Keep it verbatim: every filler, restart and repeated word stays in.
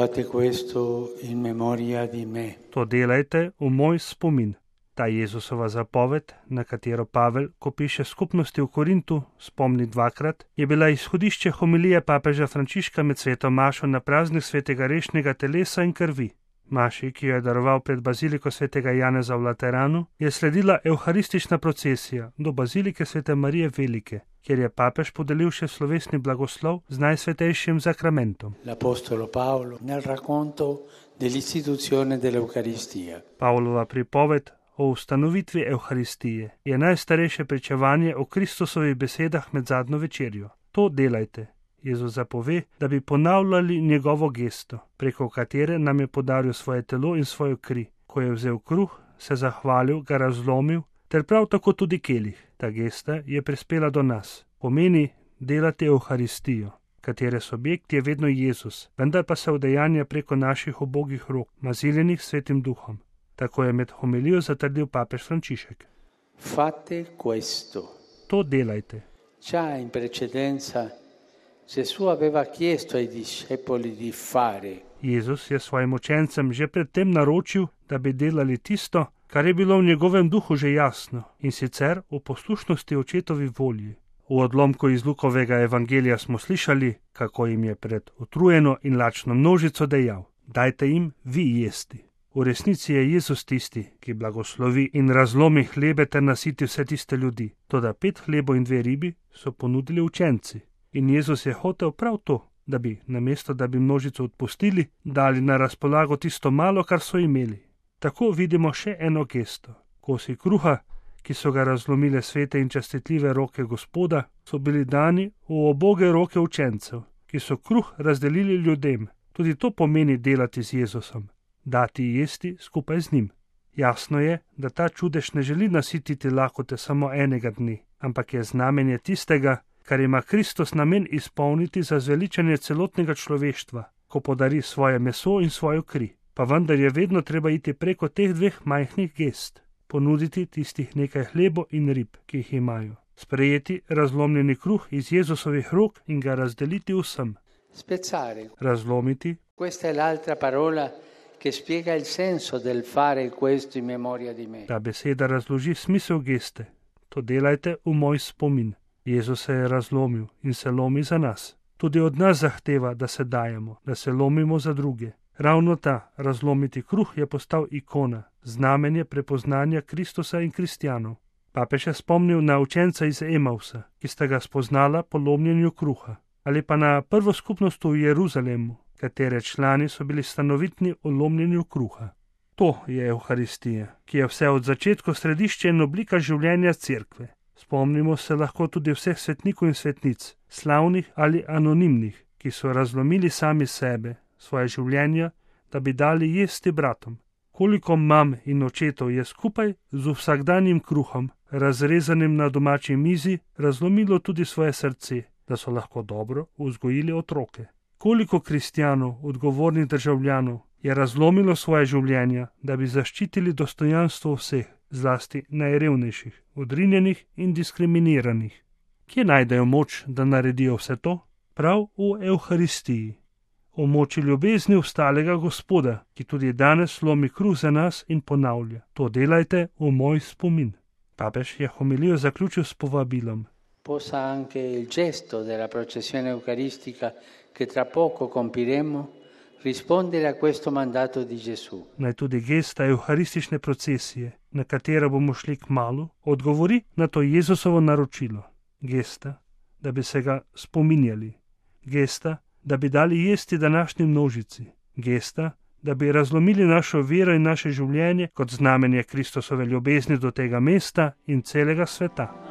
Fate questo in memoria di me. To delajte v moj spomin. Ta Jezusova zapoved, na katero Pavel, ko piše skupnosti v Korintu, spomni dvakrat, je bila izhodišče homilije papeža Frančiška med sveto mašo na praznik svetega rešnega telesa in krvi. Maši, ki jo je daroval pred baziliko svetega Janeza v Lateranu, je sledila evharistična procesija do bazilike svete Marije Velike, kjer je papež podelil še slovesni blagoslov z najsvetejšim zakramentom. L'apostolo Paolo nel racconto dell'istituzione dell'Eucaristia. Pavlova pripoved o ustanovitvi Evharistije je najstarejše pričevanje o Kristusovih besedah med zadnjo večerjo. To delajte. Jezus zapove, da bi ponavljali njegovo gesto, preko katere nam je podaril svoje telo in svojo kri. Ko je vzel kruh, se zahvalil, ga razlomil, ter prav tako tudi kelih. Ta gesta je prispela do nas. Pomeni delati Evharistijo, katere subjekt je vedno Jezus, vendar pa se udejanja preko naših ubogih rok, maziljenih svetim duhom. Tako je med homilijo zatrdil papež Frančišek. Fate questo. To delajte. Già in precedenza Gesù aveva chiesto ai discepoli di fare. Jezus je svojim učencem že predtem naročil, da bi delali tisto, kar je bilo v njegovem duhu že jasno, in sicer v poslušnosti očetovi volji. V odlomku iz Lukovega evangelija smo slišali, kako jim je pred utrujeno in lačno množico dejal: dajte jim vi jesti. V resnici je Jezus tisti, ki blagoslovi in razlomi hlebe ter nasiti vse tiste ljudi. Toda pet hlebov in dve ribi so ponudili učenci. In Jezus je hotel prav to, da bi, namesto da bi množico odpustili, dali na razpolago tisto malo, kar so imeli. Tako vidimo še eno gesto. Kosi kruha, ki so ga razlomile svete in častitljive roke Gospoda, so bili dani v uboge roke učencev, ki so kruh razdelili ljudem. Tudi to pomeni delati z Jezusom, dati jesti skupaj z njim. Jasno je, da ta čudež ne želi nasititi lakote samo enega dne, ampak je znamenje tistega, kar ima Kristus namen izpolniti za zveličanje celotnega človeštva, ko podari svoje meso in svojo kri. Pa vendar je vedno treba iti preko teh dveh majhnih gest, ponuditi tistih nekaj hlebo in rib, ki jih imajo, sprejeti razlomljeni kruh iz Jezusovih rok in ga razdeliti vsem. Spezzare. Razlomiti. Questa è l'altra parola che spiega il senso del fare questo in memoria di me. Ta beseda razloži smisel geste. To delajte v moj spomin. Jezus se je razlomil in se lomi za nas. Tudi od nas zahteva, da se dajemo, da se lomimo za druge. Ravno ta, razlomiti kruh, je postal ikona, znamenje prepoznanja Kristusa in kristjanov. Papež je spomnil na učenca iz Emausa, ki sta ga spoznala po lomljenju kruha, ali pa na prvo skupnost v Jeruzalemu, katere člani so bili stanovitni v lomljenju kruha. To je Evharistija, ki je vse od začetka središče in oblika življenja cerkve. Spomnimo se lahko tudi vseh svetnikov in svetnic, slavnih ali anonimnih, ki so razlomili sami sebe, svoje življenja, da bi dali jesti bratom. Koliko mam in očetov je skupaj z vsakdanjim kruhom, razrezanim na domači mizi, razlomilo tudi svoje srce, da so lahko dobro vzgojili otroke. Koliko kristjanov, odgovornih državljanov, je razlomilo svoje življenja, da bi zaščitili dostojanstvo vseh, zlasti najrevnejših, odrinjenih in diskriminiranih. Kje najdejo moč, da naredijo vse to? Prav v Evharistiji. O moči ljubezni vstalega Gospoda, ki tudi danes lomi kruh za nas in ponavlja: to delajte v moj spomin. Papež je homilijo zaključil s povabilom. Possa anche il gesto della processione eucaristica che tra poco compiremo rispondere a questo mandato di Gesù. Naj tudi gesta evharistične procesije, na katero bomo šli kmalu, odgovori na to Jezusovo naročilo. Gesta, da bi se ga spominjali. Gesta, da bi dali jesti današnji množici. Gesta, da bi razlomili našo vero in naše življenje kot znamenje Kristusove ljubezni do tega mesta in celega sveta.